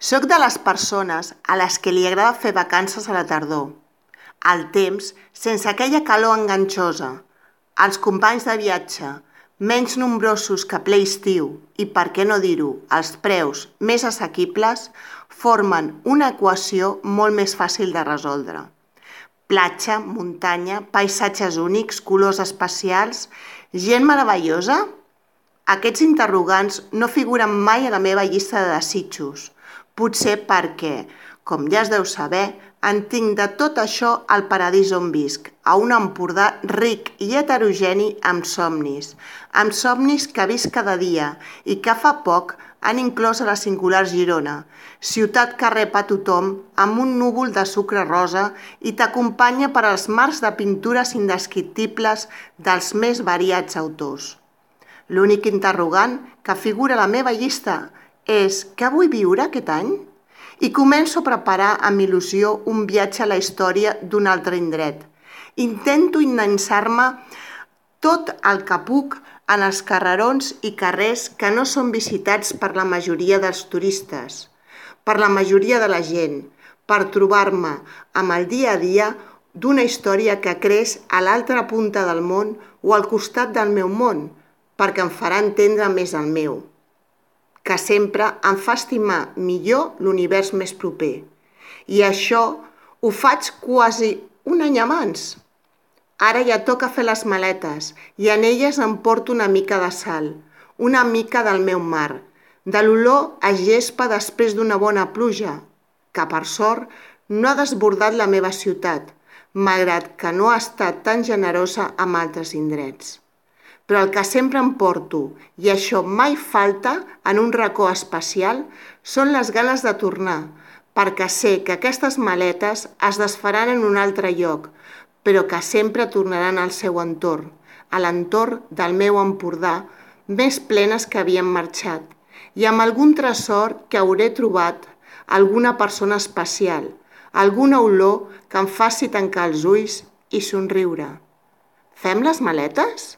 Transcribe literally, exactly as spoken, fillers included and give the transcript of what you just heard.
Soc de les persones a les que li agrada fer vacances a la tardor. Al temps, sense aquella calor enganxosa. Els companys de viatge, menys nombrosos que ple estiu i, per què no dir-ho, els preus més assequibles, formen una equació molt més fàcil de resoldre. Platja, muntanya, paisatges únics, colors especials, gent meravellosa? Aquests interrogants no figuren mai a la meva llista de desitjos, potser perquè, com ja es deu saber, en tinc de tot això al paradís on visc, a un Empordà ric i heterogeni amb somnis, amb somnis que visc cada dia i que fa poc han inclòs a la singular Girona, ciutat que rep a tothom amb un núvol de sucre rosa i t'acompanya per als mars de pintures indescriptibles dels més variats autors. L'únic interrogant que figura a la meva llista és què vull viure aquest any? I començo a preparar amb il·lusió un viatge a la història d'un altre indret. Intento endinsar-me tot el que puc en els carrerons i carrers que no són visitats per la majoria dels turistes, per la majoria de la gent, per trobar-me amb el dia a dia d'una història que creix a l'altra punta del món o al costat del meu món, perquè em farà entendre més el meu, que sempre em fa estimar millor l'univers més proper. I això ho faig quasi un any abans. Ara ja toca fer les maletes i en elles em porto una mica de sal, una mica del meu mar, de l'olor a gespa després d'una bona pluja, que per sort no ha desbordat la meva ciutat, malgrat que no ha estat tan generosa amb altres indrets. Però el que sempre em porto, i això mai falta en un racó especial, són les ganes de tornar, perquè sé que aquestes maletes es desfaran en un altre lloc, però que sempre tornaran al seu entorn, a l'entorn del meu Empordà, més plenes que havien marxat, i amb algun tresor que hauré trobat, alguna persona especial, alguna olor que em faci tancar els ulls i somriure. Fem les maletes?